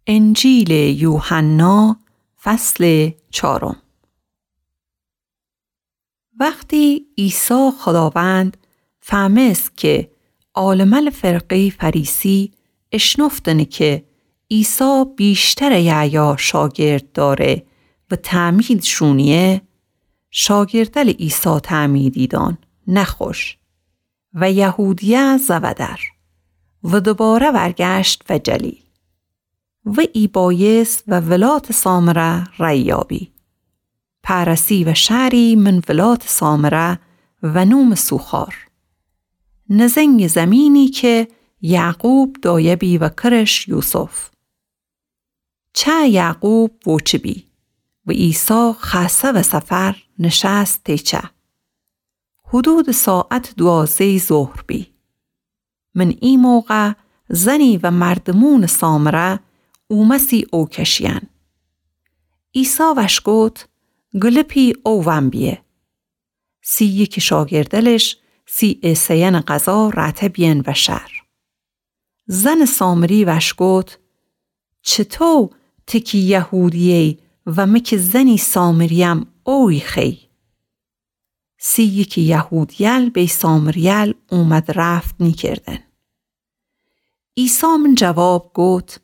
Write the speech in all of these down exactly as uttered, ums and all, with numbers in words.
انجیلٚ یوحنا، فصلٚ چارم. وختی عیسی خوداوند فهمست کی عالمأنٚ فرقه‌یٚ فریسی اشنفتنه کی عیسی ویشتر یحیی شاگرد دأره و تعمید شونییه، شاگردأنٚ عیسی تعمیدی دأن، نه خوش. و یهودیه زودر و دوباره ورگشت و جلیل. و ای بأیس و ولاتٚ سامره رأی یابی. پأرسی و شهری من ولاتٚ سامره و نومٚ سوخار، نزنگٚ زمینی کی یعقوب دأیه‌بی و کرش یوسف. چه یعقوب ووچه‌بی و عیسی خأسه و سفر نشست تی چه. حدودٚ ساعتٚ دوازده‌یٚ ظهر بی. من ای موقع زنی و مردومونٚ سامره اومسی او کشیأن. عیسی وأش گفت: گلپی او وم بیه. سی یکی شاگردأنش سی ایسه‌یأنٚ غذا رأتأ بیین و شأر. زنٚ سامری وأش گفت: چطو تی کی یهودییی و مه کی زنی سامرییم اویی خوأیی؟ سی یکی یهودیل بی سامریل اومد رفت نیکردن. عیسی من جواب گفت: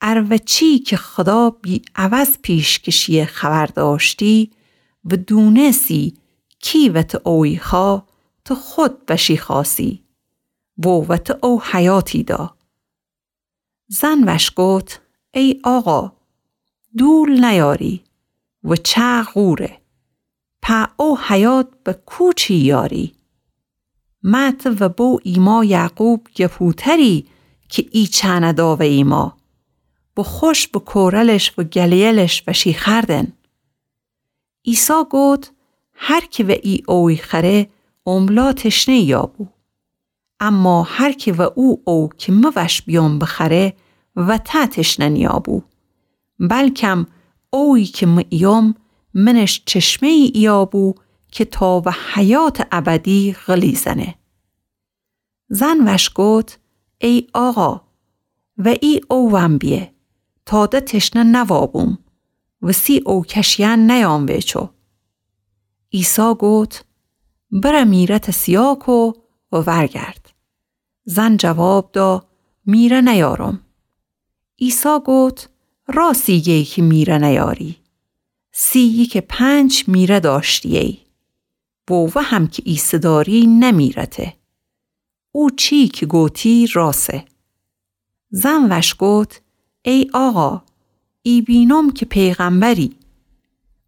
ار وأ چی کی خودا بی‌عوض پیشکشییه خبر دأشتی و دونستی کی وأ ته اویی خوا، ته خود وأشی خوأسی و وأ ته او حیاتی دا. زن وأش گفت: ای آقا، دول نیأری و چه غوره. پا او حیات به کوچی یأری؟ مه ته و بو ایمأ یعقوب یپوتری کی ای چأنه دا وأ ایمأ و خوش به کورلش و گلیلش وأشی خوأردن. عیسی گفت: هر کی وأ ای اویی خوأره، عملا تشنه یابو. اما هر کی وأ او او کی مه وأش بیوم بخوأره، وطأ تشنه نیابو. بلکم اویی کی مه ایوم، منش چشمه‌یی ایابو کی تا وأ حیاتٚ ابدی غلی زنه. زن وأش گفت: ای آقا، وأ ای او وم بیه، تا ده تشنه نوابوم و سی او کشیأن نیأم ویچو. عیسی گفت: بره میرتٚ سیا کو و ورگرد. زن جواب دا: میره نیأرم. عیسی گفت: راستی گی کی میره نیأری. سی یکی پنج میره دأشتییی و وأ هم کی ایسه دأری نمیرته. او چی کی گوتی راسه. زن وأش گفت: ای آقا، ای بینم کی پیغمبری.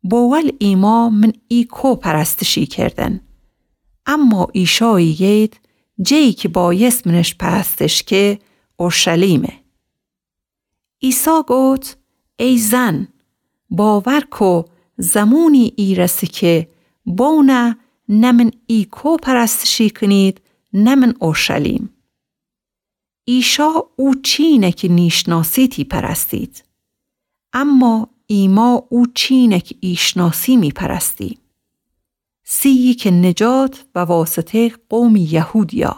بوأل ایمأ من ای کو پرستشی کردن. اما ایشأیی گید: جه‌یی کی بأیس منش پرستش که، اورشلیمه. عیسی گفت: ای زن، باور کو زمونی ایرسه کی بونه نه من ای کو پرستشی کنید، نه من اورشلیم. ایشأ او چینه کی نیشناسیدی پرستید. اما ایمأ او چینه کی ایشناسیمی پرستی. سی یکی نجات وأ واسطه‌یٚ قومٚ یهودیا.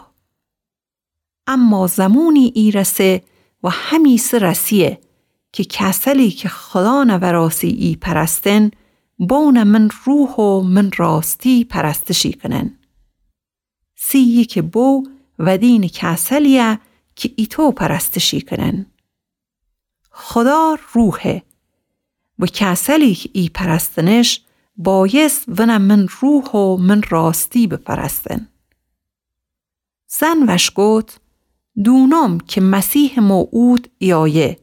اما زمونی ایرسه و همیسه رسییه کی کسلی کی خودانٚ وراسی ای پرستن، بونه من روح و من راستی پرستشی کنن. سی یکی بو ودینٚ کسلییه کی ایتو پرستشی کنن. خودا روحه و کسلی کی ای پرستنش، بأیس ونه من روح و من راستی بپرستن. زن وأش گفت: دونم کی مسیحٚ موعود ایأیه.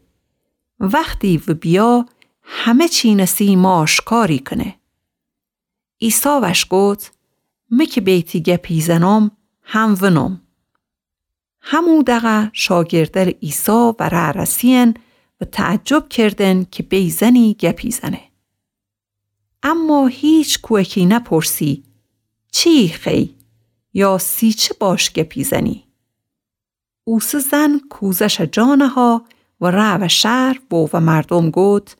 وختی وبیا، همه چینسی مأشکاری کنه. عیسی وأش گفت: مه کی بیتی گپی زنم، هم ونم. همو دقه شاگردأنٚ عیسی وره رسیین و تعجب کردن کی بی زنی گپی زنه. اما هیچ کوأکی نپرسی: چیی خوأیی؟ یا سی چی باش گپی زنی؟ اوسه زن کوزه‌شه جا نها و ره وأ شهر و وأ مردوم گفت: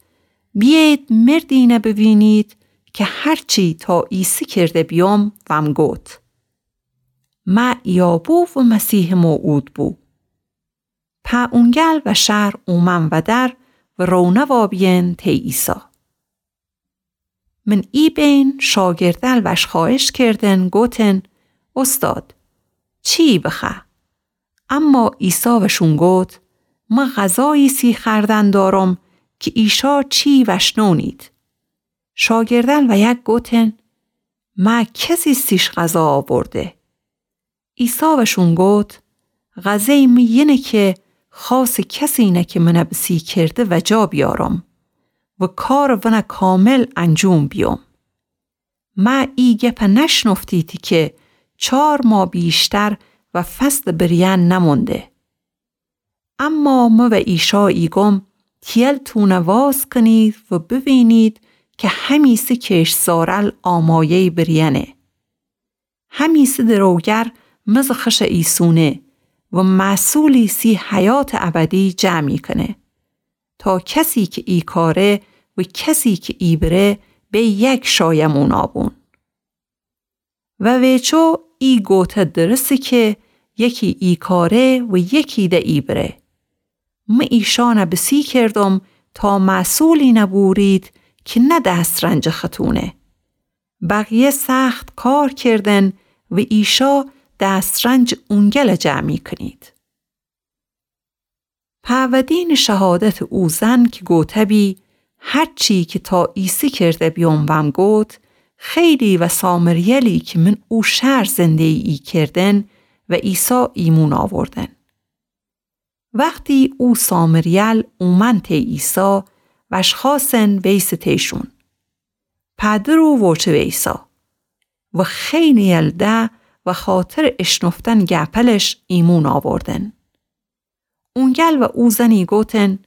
بیید مردینه بوینید کی هرچی تا ایسه کرده بیوم وم گفت. مه ایابو و مسیحٚ موعود بو. په اونگل وأ شهر اومأن ودر و رونوا بیین تی عیسی. من ای بین شاگردل وش خوأهش کردن، گوتن: اوستاد، چیی بخوأ؟ اما عیسی وشون گوت: مه غذایی سی خوردن دارم کی ایشأ چیی وشنونید. شاگردل ویک گوتن: مه کسی سیش غذا آورده؟ عیسی وشون گوت: غذای مه یینه کی خاص کسی نه کی منه بسی کرده وجا بیارم و کارٚ ونه کامل انجوم بیوم. مه ای گپ نشنفتیدی کی چار ماه بیشتر و فصلٚ بریأن نمونده. اما مه و ایشأ ایگم: تیل تونه واز کنید و بوینید کی همیسه کشتزارل آمایه‌ی بریأنه. همیسه دروگر مزٚ خوشٚ ایسونه و محصولی سی حیاتٚ ابدی جمع ایکنه، تا کسی کی ای کاره و کسی کی ای بره، به یک شایمونا بون. و ویچو ای گوته درسه کی یکی ای کاره و یکی ده ای بره. مه ایشأنه بسی کردم تا محصولی نبورید کی نه دسترنجٚ خطونه. بقیه سخت کار کردن و ایشأ دسترنجٚ اونگله جمع ایکنید. پا ودینٚ شهادتٚ او زن کی گوته بی: هرچی کی تا ایسه کرده بیوم وم گوت، خیلی و سامریلی کی من او شهر زنده‌یی ایکردن و عیسی ایمون آوردن. وختی او سامریل اومأن تی عیسی، وشخاصن ویسه تیشون. پا درو ووچه ویسا. و خیلیل ده وخاطرٚ اشنفتن گپلش ایمون آوردن. اونگل و او زنی گوتن: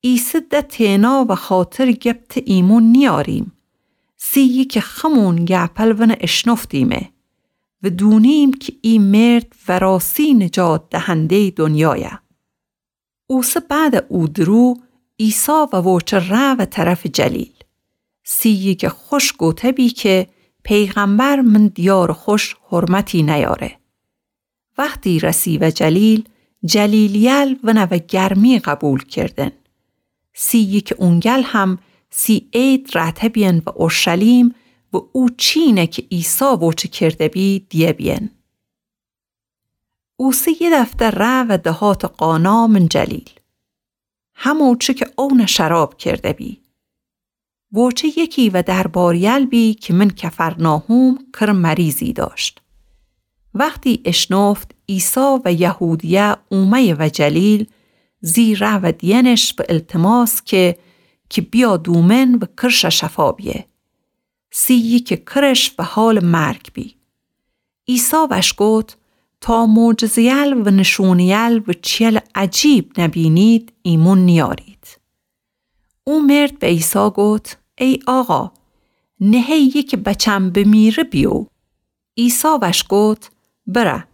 ایسه ده تئنا وخاطرٚ گپ ته ایمون نیاریم، سی یکه خمون گپل ونه اشنفتیمه و دونیم کی ای مرد وراستی نجات دهنده‌یٚ دونیایه. اوسه بعدٚ او درو عیسی ووچه روه طرفٚ جلیل. سی یکه خوش گوته بی کی پیغمبر من دیارٚ خوش حرمتی نیاره. وختی رسی و جلیل، جلیلیل ونه و گرمی قبول کردن. سی یکه اونگل هم سی عید رأته بیین و اورشلیم و او چی‌یی کی عیسی ووچه کرده بی دیه بیین. اوسه یه دفعه روه دهاتٚ قانا من جلیل. همو چی کی اونه شراب کرده بی. ووچه یکی و درباریل بی کی من کفرناحوم کر مریضی داشت. وختی اشنفت عیسی و یهودیه اومه‌یه و جلیل، زی روه دیینش و التماس که کی بیا دومن و کرشه شفا بیه. سی یکه کرش و حالٚ مرگ بی. عیسی وش گفت: تا معجزه‌یل و نشونه‌یل و چیه‌یل عجیب نبینید، ایمون نیارید. او مرد و عیسی گفت: ای آقا، نهه یکه بچم بمیره بیو. عیسی وش گفت: بره،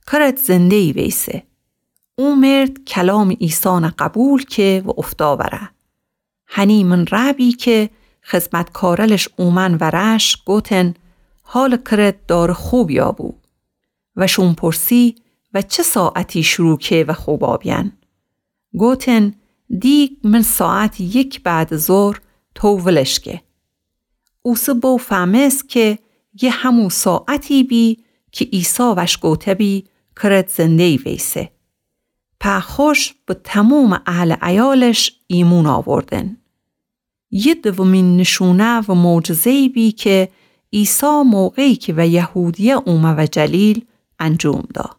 کرت زنده‌یی ویسه. او مرد کلامٚ عیسی نه قبول که و افتاوره. هنی من ربی که خدمتکارلش اومن ورش، گوتن: حالٚ کرت داره خوب یابو. وشون پرسی: و چه ساعتی شروع که و خوبا بیین؟ گوتن: دیگ من ساعت یک بعدٚ ظهر تو ولش که. اوسه بو فهمست که یه همو ساعتی بی که عیسی وش گوته بی: کرت زنده‌یی ویسه. په خوش به تمومٚ اهلٚ عیالش ایمون آوردن. یه دومین نشونه و معجزه‌یی بی که عیسی موقعی که و یهودیه اومه و جلیل انجام دا.